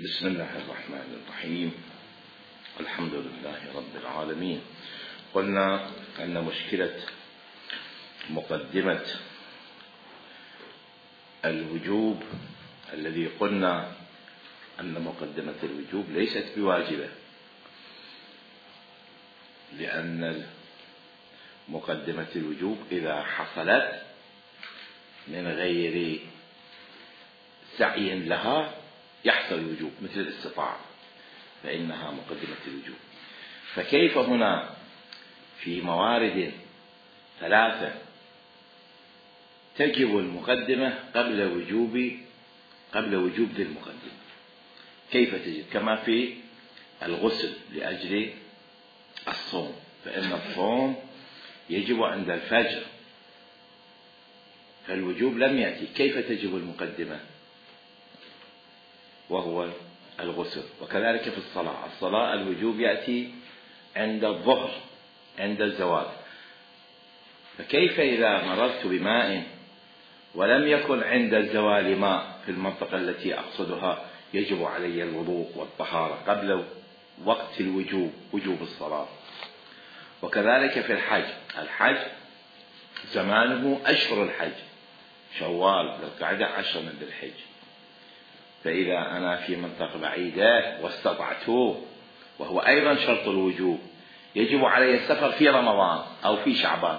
بسم الله الرحمن الرحيم. الحمد لله رب العالمين. قلنا أن مشكلة مقدمة الوجوب الذي قلنا أن مقدمة الوجوب ليست بواجبة، لأن مقدمة الوجوب إذا حصلت من غير سعي لها يحصل الوجوب، مثل الاستطاعة فإنها مقدمة الوجوب. فكيف هنا في موارد ثلاثة تجب المقدمة قبل وجوب المقدمة؟ كيف تجب؟ كما في الغسل لأجل الصوم، فإن الصوم يجب عند الفجر، فالوجوب لم يأتي. كيف تجب المقدمة وهو الغسل؟ وكذلك في الصلاة الوجوب يأتي عند الظهر عند الزوال. فكيف إذا مررت بماء ولم يكن عند الزوال ماء في المنطقة التي أقصدها، يجب علي الوضوء والطهارة قبل وقت وجوب الصلاة. وكذلك في الحج زمانه أشهر الحج شوال بالقعدة 10 من ذي الحج، فإذا أنا في منطقة بعيدة واستطعته وهو أيضا شرط الوجوب، يجب علي السفر في رمضان أو في شعبان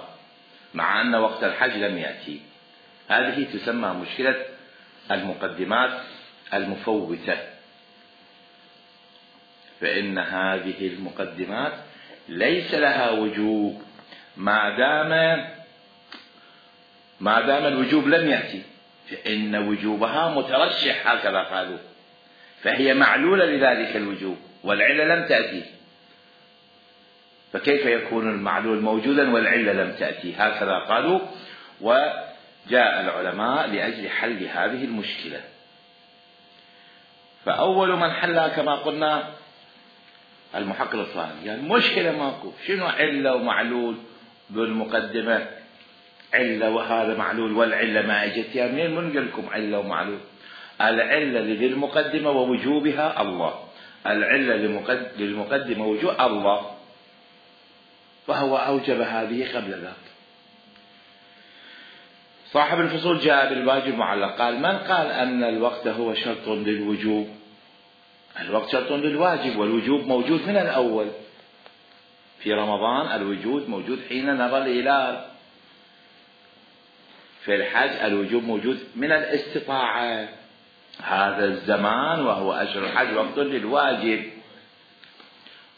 مع أن وقت الحج لم يأتي. هذه تسمى مشكلة المقدمات المفوتة، فإن هذه المقدمات ليس لها وجوب ما دام الوجوب لم يأتي، فإن وجوبها مترشح هكذا قالوا، فهي معلولة لذلك الوجوب والعلة لم تأتي، فكيف يكون المعلول موجودا والعلة لم تأتي؟ هكذا قالوا. وجاء العلماء لأجل حل هذه المشكلة، فأول من حلها كما قلنا المحقق الأصفهاني، يعني مشكلة ماكو، شنو علة ومعلول بالمقدمة؟ علة وهذا معلول والعلة ما اجت، يعني منين منقل لكم علة ومعلول؟ العلة للمقدمة ووجوبها الله، العلة للمقدمة وجوب الله، فهو أوجب هذه قبل ذاك. صاحب الفصول جاء بالواجب المعلق، قال من قال أن الوقت هو شرط للوجوب؟ الوقت شرط للواجب والوجوب موجود من الأول. في رمضان الوجود موجود حين نرى الهلال، في الحج الوجوب موجود من الاستطاعة، هذا الزمان وهو أشهر الحج وقت للواجب.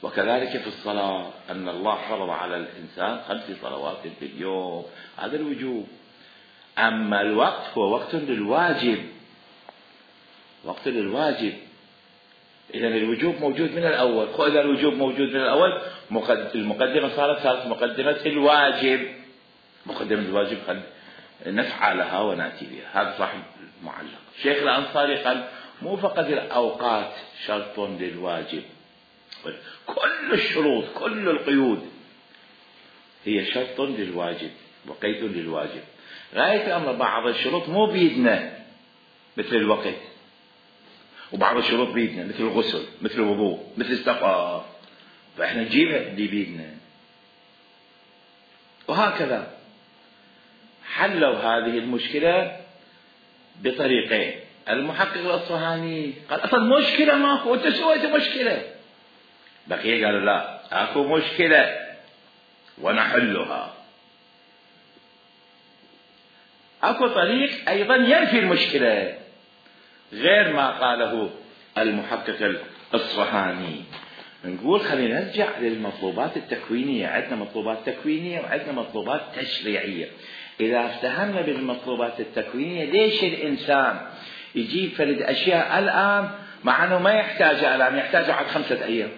وكذلك في الصلاة أن الله فرض على الإنسان 5 صلوات في اليوم، هذا الوجوب. أما الوقت هو وقت للواجب، وقت للواجب، إذن الوجوب موجود من الأول. إذا الوجوب موجود من الأول المقدمة صارت مقدمة الواجب، مقدمة الواجب قد نسعى لها ونأتي بها. هذا صاحب المعلق. شيخ الأنصاري قال مو فقط الأوقات شرط للواجب، كل الشروط كل القيود هي شرط للواجب وقيد للواجب. غاية الأمر بعض الشروط مو بيدنا مثل الوقت، وبعض الشروط بيدنا مثل الغسل مثل الوضوء مثل السفر، فإحنا نجيبها اللي بيدنا. وهكذا حلوا هذه المشكلة بطريقين. المحقق الأصفهاني قال أصلا مشكلة ماكو، أنت سويت مشكلة. بقية قالوا لا، أكو مشكلة ونحلها. أكو طريق أيضا ينفي المشكلة غير ما قاله المحقق الأصفهاني. نقول خلينا نرجع للمطلوبات التكوينية. عندنا مطلوبات تكوينية وعندنا مطلوبات تشريعية. إذا افتهمنا بالمطلوبات التكوينية، ليش الإنسان يجيب فلد أشياء الآن مع أنه ما يحتاجها الآن، يحتاجها بعد 5 أيام،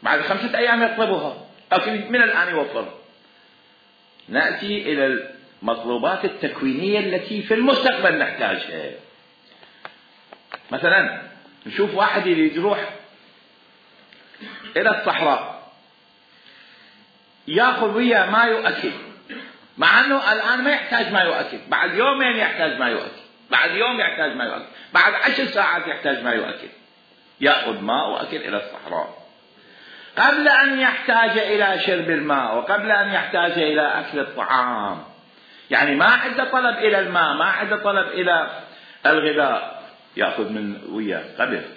بعد 5 أيام يطلبها، لكن من الآن يوفرها. نأتي إلى المطلوبات التكوينية التي في المستقبل نحتاجها. مثلا نشوف واحد يريد يروح إلى الصحراء، يأخذ وياه ماء وأكل، مع أنه الآن ما يحتاج ماء وأكل، بعد يومين يحتاج ماء وأكل. بعد يوم يحتاج ما يؤكل، بعد 10 ساعات يحتاج ما يؤكل، يأخذ ماء وأكل إلى الصحراء. قبل أن يحتاج إلى شرب الماء وقبل أن يحتاج إلى أكل الطعام، يعني ما عنده طلب إلى الماء، ما عنده طلب إلى الغذاء، يأخذ من وياه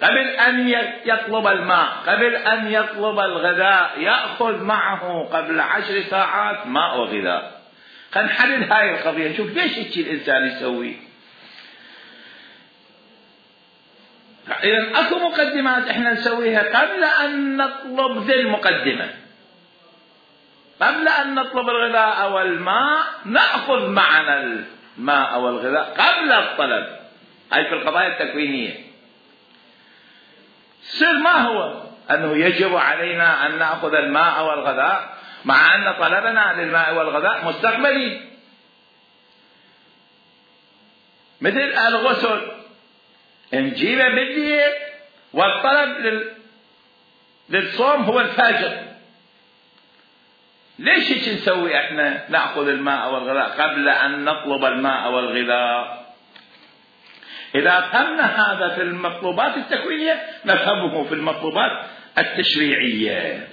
قبل أن يطلب الماء، قبل أن يطلب الغذاء، يأخذ معه قبل 10 ساعات ماء وغذاء. خلينا نحلل هاي القضية، نشوف ليش هيك الإنسان يسوي. إذا أكو مقدمات إحنا نسويها قبل أن نطلب ذي المقدمة. قبل أن نطلب الغذاء والماء نأخذ معنا الماء والغذاء قبل الطلب. هاي في القضايا التكوينية. السر ما هو؟ أنه يجب علينا أن نأخذ الماء والغذاء مع أن طلبنا للماء والغذاء مستقبلي، مثل الغسل نجيبه بالليل والطلب للصوم هو الفجر. ليش هيك نسوي احنا؟ نأخذ الماء والغذاء قبل أن نطلب الماء والغذاء. إذا فهمنا هذا في المطلوبات التكوينية نفهمه في المطلوبات التشريعية،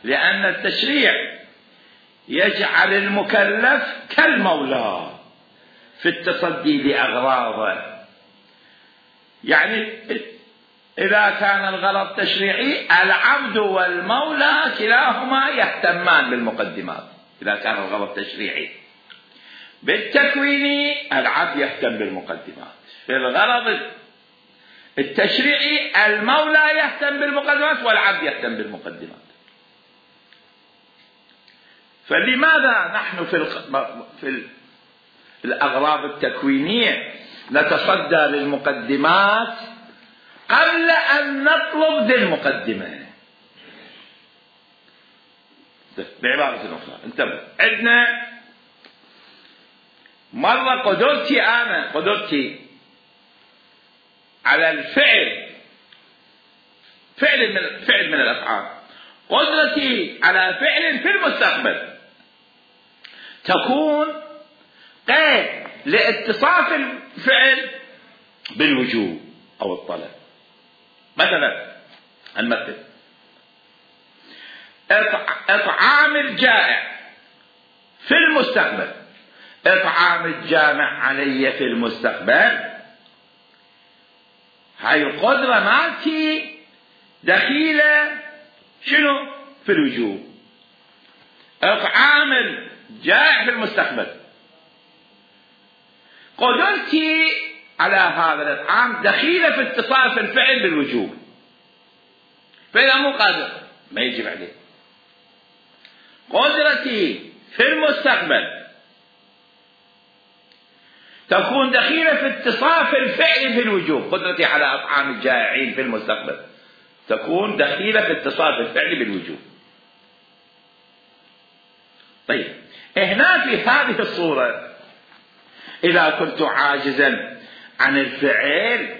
لأن التشريع يجعل المكلف كالمولى في التصدي لأغراضه. يعني إذا كان الغرض تشريعي العبد والمولى كلاهما يهتمان بالمقدمات. إذا كان الغرض تشريعي بالتكويني العبد يهتم بالمقدمات، في الغرض التشريعي المولى يهتم بالمقدمات والعبد يهتم بالمقدمات. فلماذا نحن في الأغراض التكوينية نتصدى للمقدمات قبل أن نطلب ذي المقدمة؟ بعبارة أخرى انتبه، عندنا مرة قدرتي على الفعل، فعل من الأفعال، قدرتي على فعل في المستقبل تكون قيد لاتصاف الفعل بالوجوب أو الطلب. مثلا المثل إطعام الجائع في المستقبل، إطعام الجامع علي في المستقبل، هاي القدرة مالتي دخيلة شنو؟ في الوجوب. إطعام الجائع في المستقبل، قدرتي على هذا الإطعام دخيلة في اتصاف الفعل بالوجوب، فإذا مو قادر ما يجب عليه. قدرتي في المستقبل تكون دخيلة في اتصاف الفعل بالوجوب، قدرتي على إطعام الجائعين في المستقبل تكون دخيلة في اتصاف الفعل بالوجوب. طيب هنا في هذه الصورة إذا كنت عاجزا عن الفعل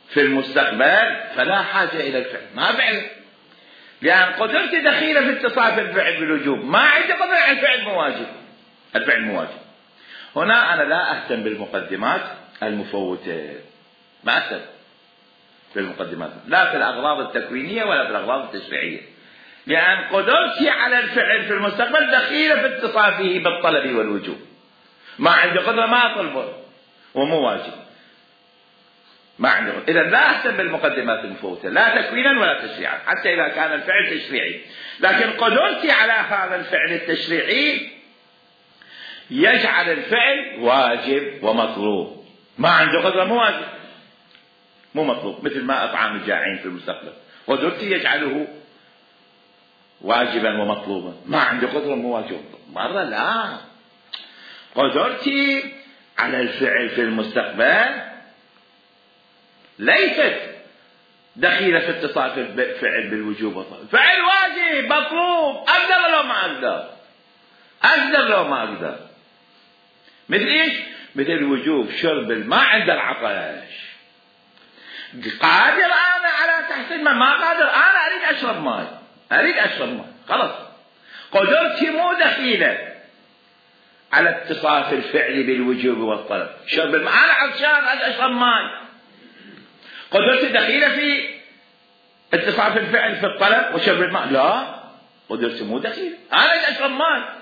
في المستقبل فلا حاجة إلى الفعل، ما فعل، لأن قدرتي دخيلة في اتصاف الفعل بالوجوب، ما عندي قدرة على الفعل مواجب، الفعل مواجب. هنا أنا لا أهتم بالمقدمات المفوتة، ما أهتم بالمقدمات لا في الأغراض التكوينية ولا في الأغراض التشريعية، لأن قدرتي على الفعل في المستقبل دخيلة في اتصافه بالطلب والوجوب، ما عندي قدرة ما أطلبه ومو واجب، ما عندي قدرة. إذا لا أهتم بالمقدمات المفوتة لا تكوينا ولا تشريعا حتى إذا كان الفعل تشريعي، لكن قدرتي على هذا الفعل التشريعي يجعل الفعل واجب ومطلوب، ما عندي قدرة مو واجب مو مطلوب، مثل ما أطعام الجائعين في المستقبل قدرتي يجعله واجبا ومطلوبا، ما عندي قدرة مو واجب مرة، لا، قدرتي على الفعل في المستقبل ليست دخيلة في اتصاف الفعل بالوجوب والطلب، فعل واجب مطلوب، أقدر لو ما أقدر، أقدر لو ما أقدر. مثل إيش؟ مثل وجوب شرب الماء عند العطش، قادر أنا على تحصيل ماء، ما قادر أنا أريد أشرب ماء، خلاص قدرتي مو دخيلة على اتصاف الفعل بالوجوب والطلب. شرب الماء، أنا عطشان أشرب ماء، قدرتي دخيلة في اتصاف الفعل في الطلب وشرب الماء؟ لا، قدرتي مو دخيلة، أنا أشرب ماء.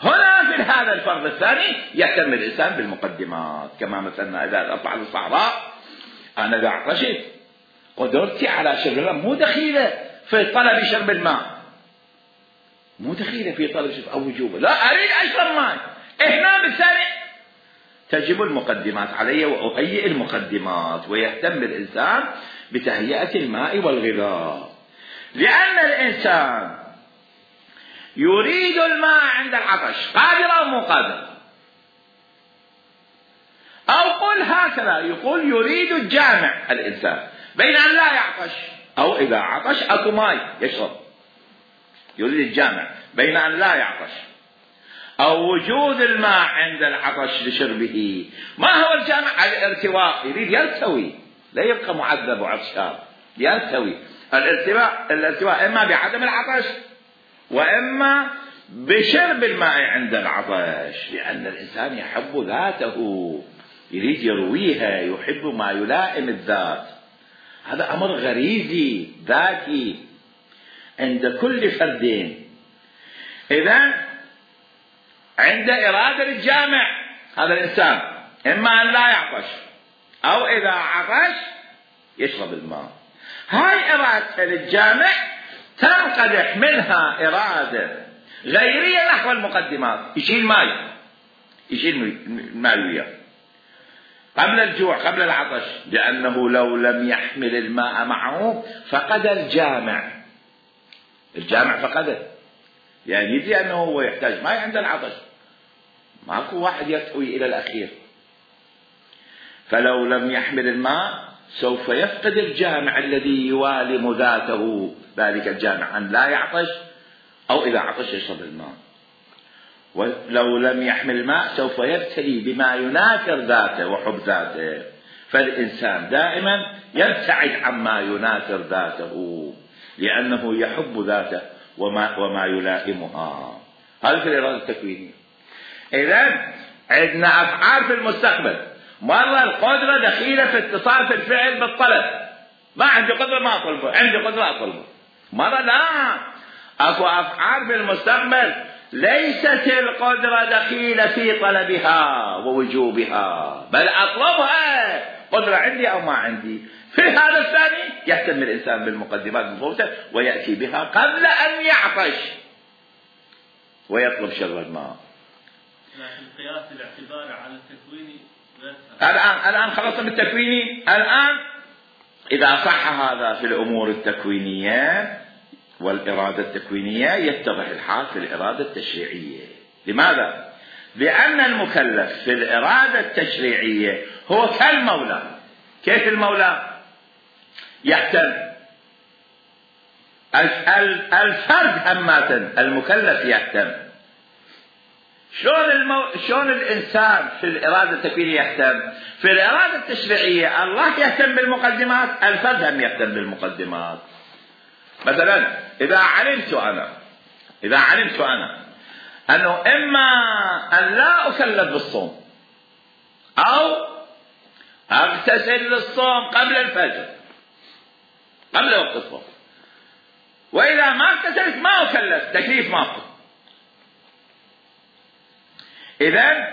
هنا في هذا الفرض الثاني يهتم الإنسان بالمقدمات، كما مثلا إذا أطلع للصحراء أنا إذا عطشت قدرتي على شرب الماء مو دخيلة في طلب شرب الماء، مو دخيلة في طلب شرب أو وجوبه، لا أريد أشرب ماء. هنا بالثاني تجب المقدمات علي وأهيئ المقدمات، ويهتم الإنسان بتهيئة الماء والغذاء، لأن الإنسان يريد الماء عند العطش، قادر أو مو قادر؟ أو قل هكذا، يقول يريد الجامع الإنسان بين أن لا يعطش أو إذا عطش أكو ماء يشرب، يريد الجامع بين أن لا يعطش أو وجود الماء عند العطش لشربه. ما هو الجامع؟ الارتواء، يريد يرتوي، لا يبقى معذب وعطشان، يرتوي. الارتواء إما بعدم العطش وإما بشرب الماء عند العطش، لأن الإنسان يحب ذاته، يريد يرويها، يحب ما يلائم الذات. هذا أمر غريزي ذاتي عند كل فرد. إذن عند إرادة الجامع هذا الإنسان إما أن لا يعطش أو إذا عطش يشرب الماء. هاي إرادة الجامع تنقدح منها إرادة غيرية نحو المقدمات، يشيل ماء، يشيل الماء وياه قبل الجوع قبل العطش، لأنه لو لم يحمل الماء معه فقد الجامع فقده، يعني يدري أنه هو يحتاج ماء عند العطش، ماكو واحد يرتوي إلى الأخير. فلو لم يحمل الماء سوف يفقد الجامع الذي يوالم ذاته، ذلك الجامع أن لا يعطش أو إذا عطش يشرب الماء. ولو لم يحمل الماء سوف يبتلي بما يناكر ذاته وحب ذاته. فالإنسان دائما يبتعد عما يناكر ذاته لأنه يحب ذاته وما يلائمها. هذا في الإرادة التكوينية. إذن عندنا أفعال في المستقبل، مرة القدرة دخيلة في اتصاف الفعل بالطلب، ما عندي قدرة ما أطلبه، عندي قدرة أطلبه. مرة لا، أكو أفعال في المستقبل ليست القدرة دخيلة في طلبها ووجوبها، بل أطلبها، قدرة عندي أو ما عندي. في هذا الثاني يهتم الإنسان بالمقدمات المفوتة ويأتي بها قبل أن يعطش ويطلب شرب الماء. لكن قياس الاعتبار على التكويني الآن خلصنا بالتكويني. الآن إذا صح هذا في الأمور التكوينية والإرادة التكوينية يتضح الحال في الإرادة التشريعية. لماذا؟ لأن المكلف في الإرادة التشريعية هو كالمولى. كيف المولى؟ يهتم الفرد همات، المكلف يهتم. شلون الإنسان في الإرادة التكوينية يهتم؟ في الإرادة التشريعية الله يهتم بالمقدمات، الفرد هم يهتم بالمقدمات. مثلا إذا علمت أنا أنه إما أن لا أكلف بالصوم أو أغتسل للصوم قبل الفجر قبل وقت الصوم، وإذا ما اغتسلت ما أكلف، تكليف ماكو. إذن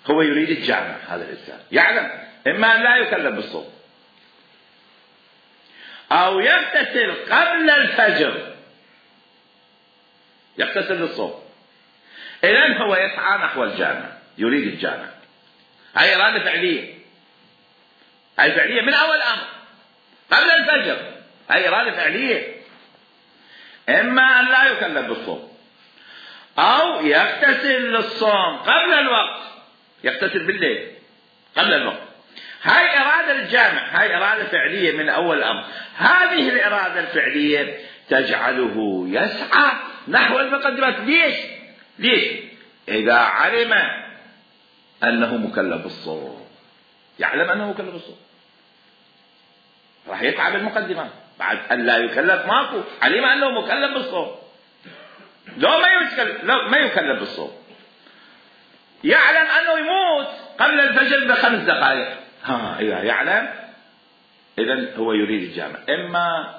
هو يريد الجامع. هذا الإنسان يعلم إما أن لا يكلف بالصوم أو يغتسل قبل الفجر، يغتسل للصوم. إذن هو يسعى نحو الجامع، يريد الجامع. هاي إرادة فعلية، هاي فعلية من أول أمر قبل الفجر، هاي إرادة فعلية. إما أن لا يكلف بالصوم أو يغتسل للصوم قبل الوقت، يغتسل بالليل قبل الوقت. هاي إرادة الجامع، هاي إرادة فعلية من أول أمر. هذه الإرادة الفعلية تجعله يسعى نحو المقدمات. ليش؟ إذا علم أنه مكلف بالصوم، يعلم أنه مكلف بالصوم، راح يسعى بالمقدمات. بعد أن لا يكلف ماكو، علم أنه مكلف بالصوم، لو ما يكلف بالصوم يعلم أنه يموت قبل الفجر ب5 دقائق، إذا يعلم إذن هو يريد الجامع، إما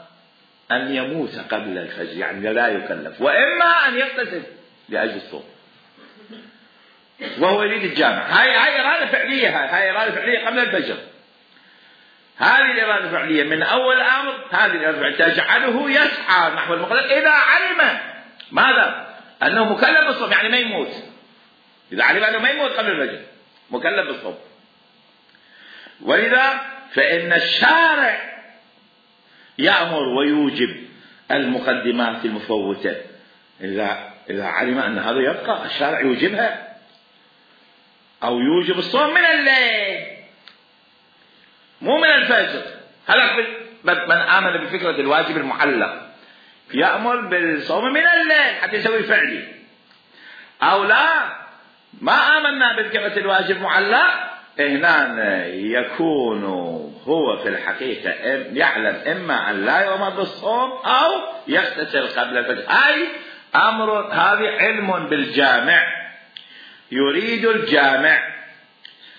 أن يموت قبل الفجر يعني لا يكلف، وإما أن يغتسل لأجل الصوم وهو يريد الجامع. هاي إرادة فعلية، هاي إرادة فعلية قبل الفجر. هذه الإرادة الفعلية من أول الأمر، هذه الإرادة الفعلية تجعله يسعى نحو المقدمة إذا علم ماذا؟ أنه مكلف بالصوم، يعني ما يموت. إذا علم أنه ما يموت قبل الفجر مكلف بالصوم. ولذا فإن الشارع يأمر ويوجب المقدمات المفوتة. إذا علم أن هذا يبقى الشارع يوجبها، أو يوجب الصوم من الليل مو من الفجر. هذا من آمن بفكرة الواجب المعلق يأمر بالصوم من الليل حتى يسوي فعلي، أو لا ما آمنا بفكرة الواجب المعلق، هنا يكون هو في الحقيقة يعلم إما أن لا يؤمر بالصوم أو يغتسل قبل الفجر. هذه علم بالجامع، يريد الجامع.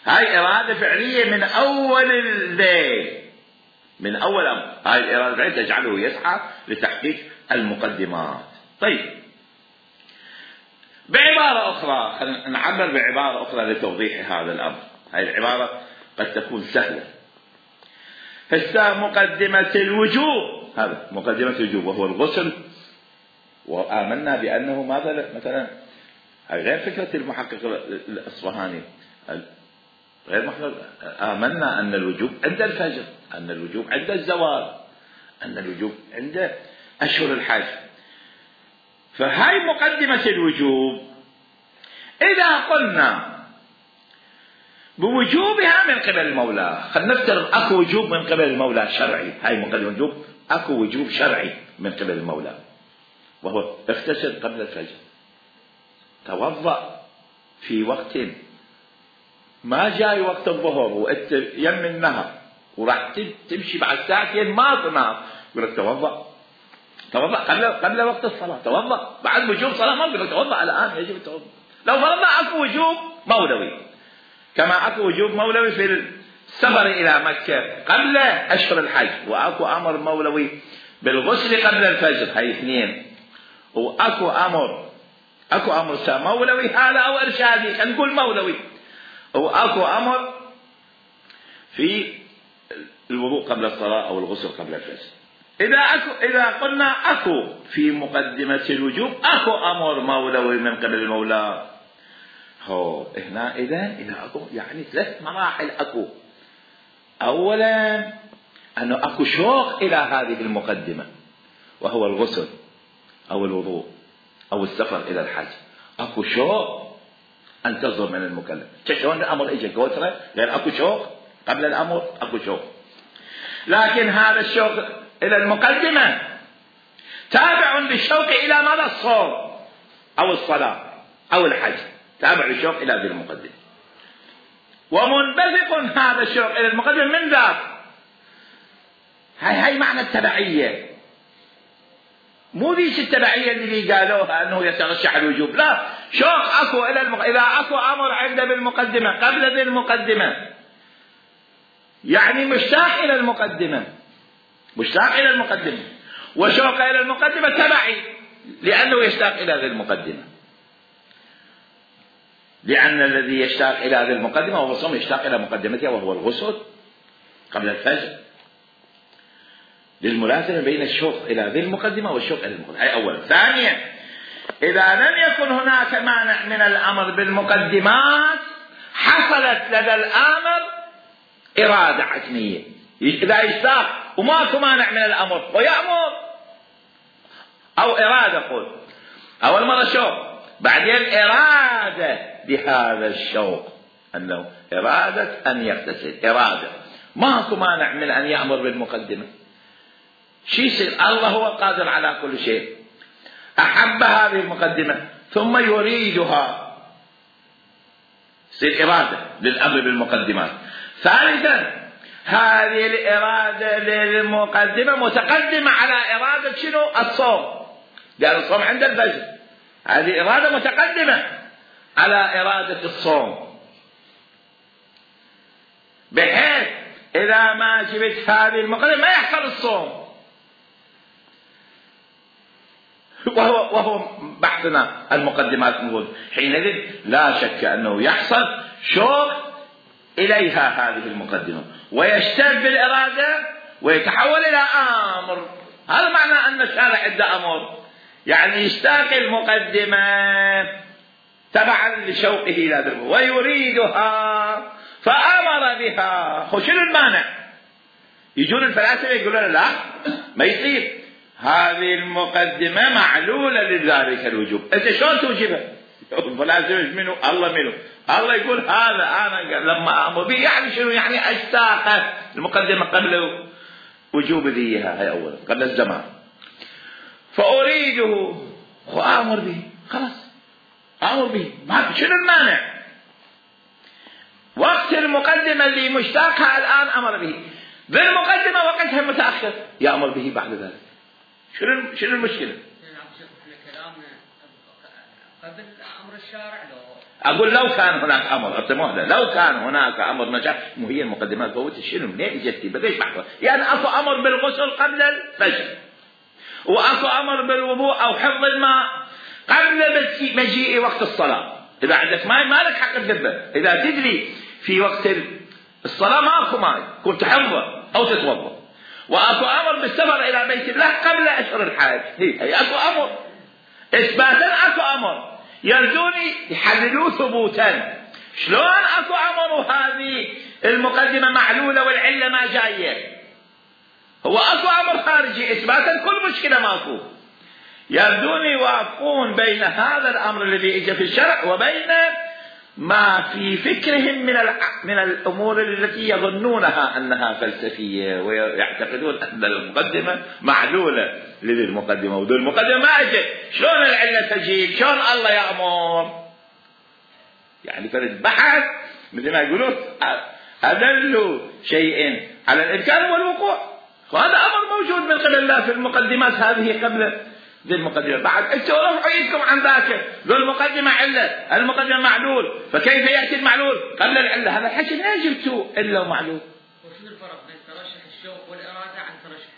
هاي إرادة فعلية من أول الليل، من أول أمر. هاي الإرادة الفعلية تجعله يسعى لتحقيق المقدمات. طيب، بعبارة أخرى نعبر بعبارة أخرى لتوضيح هذا الأمر. هاي العبارة قد تكون سهلة. مقدمة الوجوب، هذا مقدمة الوجوب وهو الغسل، وآمنا بأنه ماذا مثلا غير فكرة المحقق الأصفهاني، غير محقق. آمنا أن الوجوب عند الفجر، أن الوجوب عند الزوال، أن الوجوب عند أشهر الحج. فهاي مقدمة الوجوب. إذا قلنا بوجوبها من قبل المولى، خلينا نفترض أكو وجوب من قبل المولى شرعي، هاي مقدمة الوجوب، أكو وجوب شرعي من قبل المولى، وهو اغتسل قبل الفجر، توضأ في وقت ما جاي وقت الظهر وانت يم النهر وراح تمشي بعد ساعتين ما تنام، يقول لك توضأ قبل وقت الصلاة، توضأ بعد وجوب صلاة، ما يقول لك توضأ الآن يجب التوضأ. لو فرضنا أكو وجوب مولوي، كما أكو وجوب مولوي في السفر إلى مكة قبل أشهر الحج، وأكو أمر مولوي بالغسل قبل الفجر، هاي اثنين. وأكو أمر مولوي هذا أو إرشادي، خلينا نقول مولوي. وأكو أمر في الوضوء قبل الصلاة أو الغسل قبل الفجر. إذا قلنا أكو في مقدمة الوجوب أكو أمر مولوي من قبل المولى، هنا إذا أكو يعني 3 مراحل أكو. أولا أنه أكو شوق إلى هذه المقدمة، وهو الغسل أو الوضوء أو السفر إلى الحج. أكو شوق أن تصدر من المكلف. شلون الأمر إجا كوترة غير أكو شوق قبل الأمر، أكو شوق. لكن هذا الشوق إلى المقدمة تابع بالشوق إلى ماذا؟ الصوم أو الصلاة أو الحج، تابع الشوق إلى هذه المقدمة. ومنبثق هذا الشوق إلى المقدمة من ذاك. هاي معنى التبعية، مو ذيش التبعية اللي قالوها أنه يترشح الوجوب، لا، شوق أكو إلى إذا أكو أمر عنده بالمقدمة قبل ذي المقدمة يعني مشتاق إلى المقدمة، وشوق إلى المقدمة تبعي لأنه يشتاق إلى ذي المقدمة، لأن الذي يشتاق إلى ذي المقدمة وهو الصوم يشتاق إلى مقدمتها وهو الغسل قبل الفجر، للملازمة بين الشوق إلى ذي المقدمة والشوق إلى المقدمة. هذه أولا. ثانيا، إذا لم يكن هناك مانع من الأمر بالمقدمات حصلت لدى الآمر إرادة عتمية، إذا يشتاق وماكو مانع من الأمر ويأمر، أو إرادة قول أول مرة شوق بعدين إرادة بهذا الشوق أنه إرادة أن يغتسل، إرادة ماكو مانع من أن يأمر بالمقدمة. شيء يصير؟ الله هو قادر على كل شيء، أحب هذه المقدمة ثم يريدها، يصير إرادة للأمر بالمقدمات. ثالثا، هذه الإرادة للمقدمة متقدمة على إرادة شنو؟ الصوم، لأن الصوم عند الفجر، هذه إرادة متقدمة على إرادة الصوم، بحيث إذا ما جبت هذه المقدمة ما يحصل الصوم. وهو بحثنا المقدمات نقول حينئذ لا شك أنه يحصل شوق إليها هذه المقدمة، ويشتد بالإرادة ويتحول إلى أمر. هذا معنى أن الشارع عنده أمر، يعني يشتاق المقدمة تبعا لشوقه إلى ذلك ويريدها فأمر بها. شنو المانع؟ يجون الفلاسفة يقولون لا ما يصير، هذه المقدمة معلولة لذلك الوجوب. أنت شلون توجبها؟ الفلاسفة منه الله منه، الله يقول هذا أنا لما أمر به يعني شنو؟ يعني أشتاق المقدمة قبل وجوب ذيها، هي أولا قبل الزمان، فأريده وأمر به، خلاص أمر به، ما شنو المانع؟ وقت المقدمة اللي مشتاقها الآن أمر به، بالمقدمة وقتها متأخر يأمر به بعد ذلك. شنو المشكلة؟ قبل أمر الشارع أقول لو كان هناك أمر، لو كان هناك أمر مشاع، مو هي المقدمات فوت شنو منين اجتي؟ بديش بحث يعني اكو أمر بالغسل قبل الفجر، واكو أمر بالوضوء أو حفظ الماء قبل مجيء وقت الصلاة. إذا عندك ماء ما لك حق تذبه، إذا تدري في وقت الصلاة ما اكو ماء كنت تحفظه أو تتوضأ. واكو أمر بالسفر إلى بيت الله قبل أشهر الحج، هي اكو أمر إثباتا، اكو أمر يرجوني يحللوه ثبوتا. شلون اكو أمر وهذه المقدمة معلولة والعلة ما جاية؟ هو اكو أمر خارجي إثباتا، كل مشكلة ماكو. يرجون يوافقون بين هذا الأمر الذي اجى في الشرع وبين ما في فكرهم من الأمور التي يظنونها أنها فلسفية، ويعتقدون أن المقدمة معلولة لذي المقدمة وذي المقدمة ما أجت. شلون العلة تجيب؟ شلون الله يأمر؟ يعني فرد بحث مثل ما يقولون أدل شيء على الإمكان والوقوع، وهذا أمر موجود من قبل الله في المقدمات هذه قبل ذي المقدمة. بعد انتوا رفعوا ايدكم عن ذاك، ذو المقدمة علة، المقدمة معلول، فكيف يأتي المعلول قبل العلة؟ هذا الحكي ما جبتوا إلا ومعلول. وشو الفرق بين ترشح الشوق والإرادة عن ترشح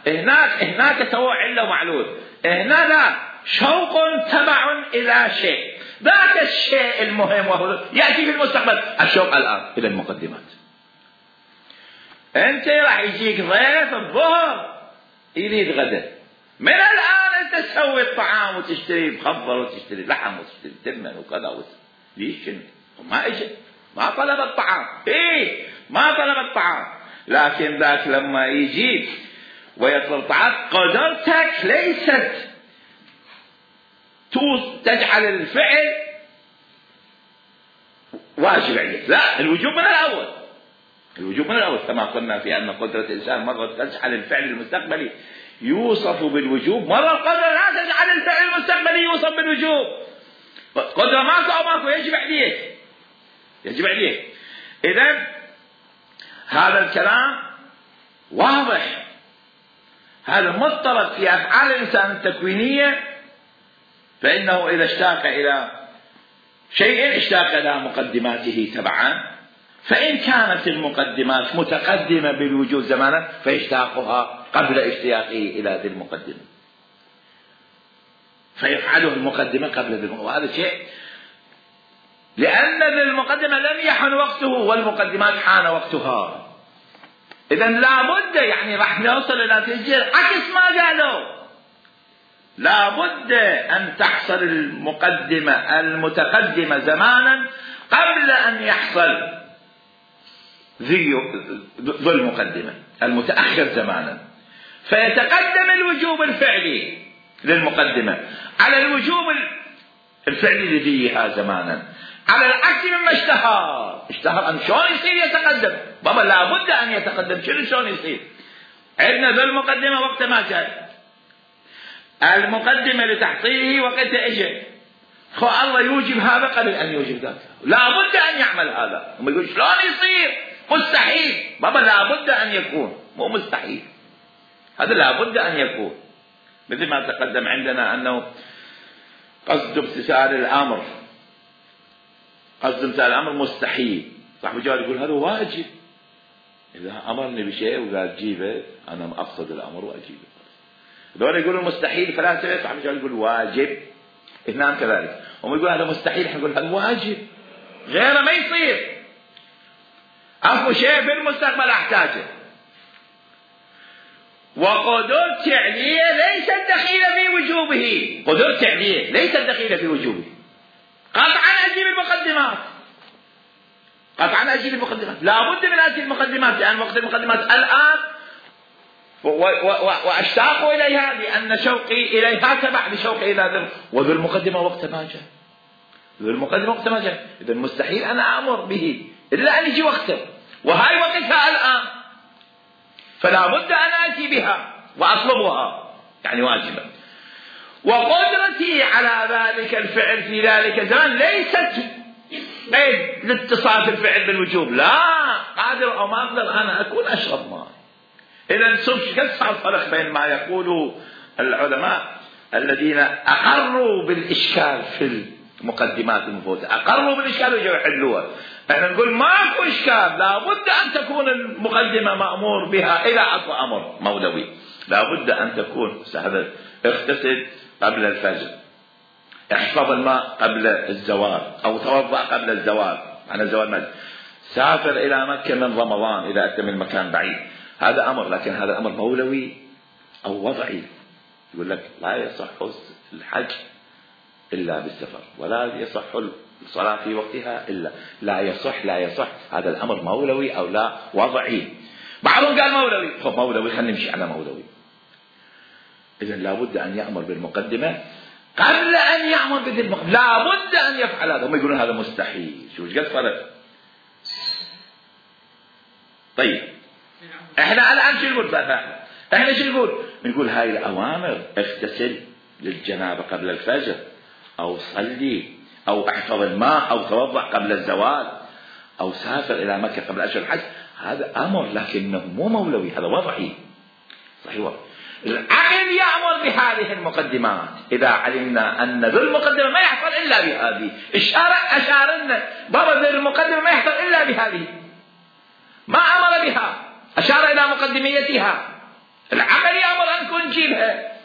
الوجود؟ هناك سواء علة ومعلول، هنا لا، شوق تبع إلى شيء، ذاك الشيء المهم وهو يأتي في المستقبل. الشوق الآن إلى المقدمات. أنت راح يجيك ضيف الظهر يريد غدا، من الآن أنت تسوي الطعام وتشتري مخبر وتشتري لحم وتشتري تمن وكذا ليش؟ ما إجا، ما طلب الطعام، ما طلب الطعام. لكن ذاك لما يجي ويطلب الطعام قدرتك ليست تجعل الفعل واجب عليك، لا، الوجوب من الأول. الوجوب من الأول كما قلنا في أن قدرة الإنسان مرة تجعل الفعل المستقبلي يوصف بالوجوب، مرة القدرة لا تجعل الفعل المستقبلي يوصف بالوجوب. قدرة ماكو أو ماكو يجب عليك، يجب عليك. إذن هذا الكلام واضح، هذا مضطرد في أفعال الإنسان التكوينية، فإنه إذا اشتاق إلى شيء اشتاق إلى مقدماته تبعا، فإن كانت المقدمات متقدمة بالوجود زمانا فيشتاقها قبل اشتياقه إلى ذي المقدمة، فيفعله المقدمة قبل ذي المقدمة. وهذا شيء لأن ذي المقدمة لم يحن وقته والمقدمات حان وقتها. إذن لابد يعني راح نوصل إلى نتيجة عكس ما قالوا، لابد أن تحصل المقدمة المتقدمة زمانا قبل أن يحصل ذو المقدمة المتأخر زمانا، فيتقدم الوجوب الفعلي للمقدمة على الوجوب الفعلي لذيها زمانا، على العكس مما اشتهر أن شلون يصير يتقدم. بابا لابد أن يتقدم، شلون يصير؟ عندنا ذو المقدمة وقت ما جاء، المقدمة لتحصيله وقت اجى، الله يوجب هذا قبل أن يوجب ذاك، لابد أن يعمل هذا. هم يقول شلون يصير؟ مستحيل. بابا لابد أن يكون، مو مستحيل، هذا لابد أن يكون. مثل ما تقدم عندنا أنه قصد امتثال الأمر قصد مثال الأمر مستحيل، صاحب الجواب يقول هذا واجب، إذا أمرني بشيء وقال جيبه أنا أقصد الأمر وأجيبه. دول يقولوا مستحيل فلاسفة، صاحب الجواب يقول واجب. اثنان كذلك، هم يقول هذا مستحيل، احنا نقول هذا واجب، غيره ما يصير. أكو شيء في المستقبل أحتاجه، وقدرت عليه ليست دخيلة في وجوبه، قدرت عليه ليست دخيلة في وجوبه. قطعا أجيب المقدمات، قطعا أجيب المقدمات، لا بد من أجيب المقدمات، لأن وقت المقدمات الآن وأشتاق إليها، لأن شوقي إليها تبع لشوقي إلى ذل، وذو المقدمة وقت ما جاء، ذو المقدمة وقت ما جاء، إذا مستحيل أنا أمر به إلا أن يجي وقته، وهاي وقتها الآن، فلا بد أن آتي بها وأطلبها، يعني واجبا. وقدرتي على ذلك الفعل في ذلك الزمان ليست قيد لاتصاف الفعل بالوجوب، لا، قادر أو ما أقدر أنا أكون أشرب ماء. إذا كسر الفرق بين ما يقول العلماء الذين أقروا بالإشكال في المقدمات المفوتة، أقروا بالإشكال ويجوا يحلوها. احنا نقول ماكو إشكال، لا بد أن تكون المقدمة مأمور بها إلى أصل أمر مولوي، لا بد أن تكون هذا اغتسل قبل الفجر، احفظ الماء قبل الزوال، أو توضأ قبل الزوال، عن الزوال مجد، سافر إلى مكة من رمضان إذا أتى من مكان بعيد، هذا أمر، لكن هذا أمر مولوي أو وضعي. يقول لك لا يصح الحج إلا بالسفر، ولا يصح الصلاة في وقتها إلا، لا يصح، هذا الأمر مولوي أو لا وضعي. بعضهم قال مولوي، مولوي خلينا نمشي على مولوي. إذن لا بد أن يأمر بالمقدمة قبل أن يأمر بذي المقدمة، لا بد أن يفعل هذا. هم يقولون هذا مستحيل، شو قد فرق؟ طيب احنا الآن شو نقول بقى؟ احنا شو نقول هاي الأوامر، اغتسل للجنابة قبل الفجر، أو صلي، أو احفظ الماء، أو توضأ قبل الزوال، أو سافر إلى مكة قبل أشهر الحج، هذا أمر لكنه مو مولوي، هذا وضعي. صحيح. العقل يأمر بهذه المقدمات إذا علمنا أن ذو المقدمة ما يحصل إلا بهذه. أشار لنا بابا ذو المقدمة ما يحصل إلا بهذه، ما أمر بها، أشار إلى مقدميتها. العقل يأمر أن تكون جيبها،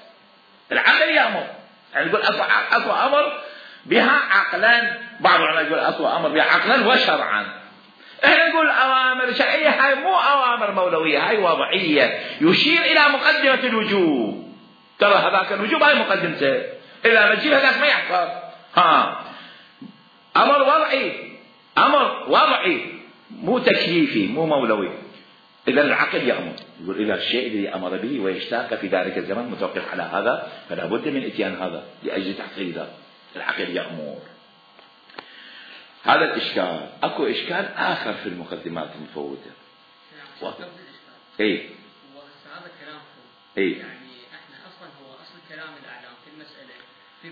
العقل يأمر، يعني يقول أصل أمر بها عقلا، بعض العلماء يقول أصل أمر بها عقلا وشرعا. احنا نقول أوامر شرعية، هاي مو أوامر مولوية، هاي وضعية، يشير إلى مقدمة الوجوب. ترى هذاك الوجوب هاي مقدمته، إذا ما تجيب هذاك ما يحصل. أمر وضعي مو تكليفي، مو مولوي. إذا العقل يأمر، يقول إذا الشيء الذي أمر به ويشتاق في ذلك الزمان متوقف على هذا، فلا بد من إتيان هذا لأجل تحصيل ذلك. العقل يأمر. هذا الإشكال. أكو إشكال آخر في المقدمات المفوتة. إيه. هذا كلام إيه. يعني إحنا أصلاً هو أصل كلام الأعلام في المسألة في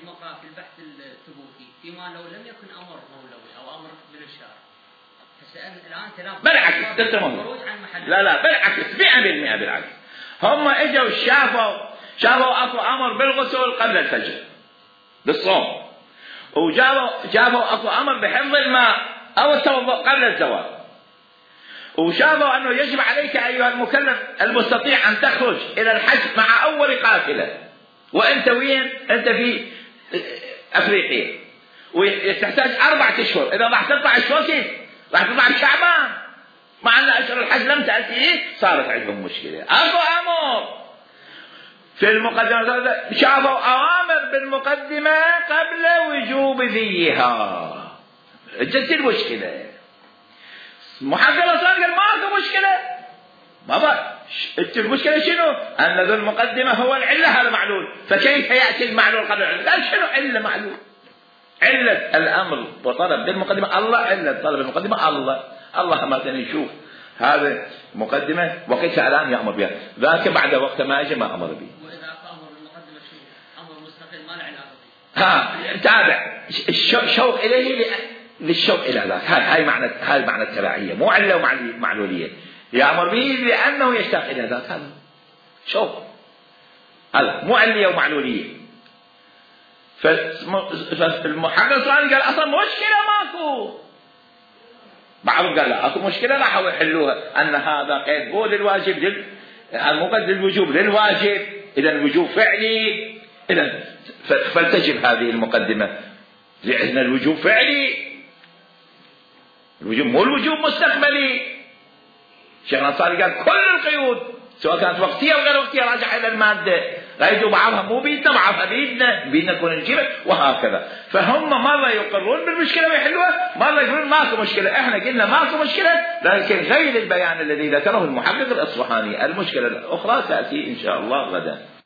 البحث الثبوتي، فيما لو لم يكن أمر مولوي أو أمر من الشارع. الآن كلام بالعكس، خروج عن محل. لا بالعكس، 100% بالعكس. هم إجوا شافوا أكو أمر بالغسل قبل الفجر بالصوم، وجابوا أكو أمر بحفظ الماء أو التوضؤ قبل الزوال، وشافوا أنه يجب عليك أيها المكلف المستطيع أن تخرج إلى الحج مع أول قافلة، وأنت وين؟ أنت في أفريقيا، وتحتاج 4 أشهر. إذا راح تطلع أشهر كيف؟ راح تطلع بشعبان، مع أن أشهر الحج لم تأتي، صارت عندهم مشكلة. أكو أمر في المقدمة، شافوا أوامر بالمقدمة قبل وجوب ذيها، جت المشكلة. محقق الأصول قال ماكو مشكلة بابا، المشكلة شنو؟ أن ذو المقدمة هو العلة، هذا معلول، فكيف يأتي المعلول قبل العلة؟ قال شنو علة معلول؟ علة الأمر وطلب بالمقدمة الله، علة طلب المقدمة الله ما نشوف هذا مقدمة وقتها الآن يأمر بها، ذاك بعد وقت ما أجي ما أمر به. وإذا أمر بالمقدمة شو؟ أمر مستقل ما له علاقة. تابع الشوق إليه للشوق إلى ذاك، هاي معنى التبعية، مو علة ومعلولية. يأمر به لأنه يشتاق إلى ذاك، هذا شوق، هذا مو علة ومعلولية. فالمحقق الصالح قال أصلا مشكلة ماكو، بعضهم قال لا اكو مشكله راحوا يحلوها ان هذا قيد مو للواجب المقيد للوجوب للواجب، اذا الوجوب فعلي، اذا فلتجب هذه المقدمه لان الوجوب فعلي، الوجوب مو الوجوب مستقبلي. الشيخ الانصاري قال كل القيود سواء كانت وقتيه او غير وقتيه راجعه الى الماده، قيدوا بعضها مو بيدنا بعضها بيدنا نكون نجيبها وهكذا. فهم مره يقرون بالمشكله ويحلوها، مره يقولون ماكو مشكله. احنا قلنا ماكو مشكله، لكن غير البيان الذي ذكره المحقق الاصفهاني. المشكله الاخرى تاتي ان شاء الله غدا.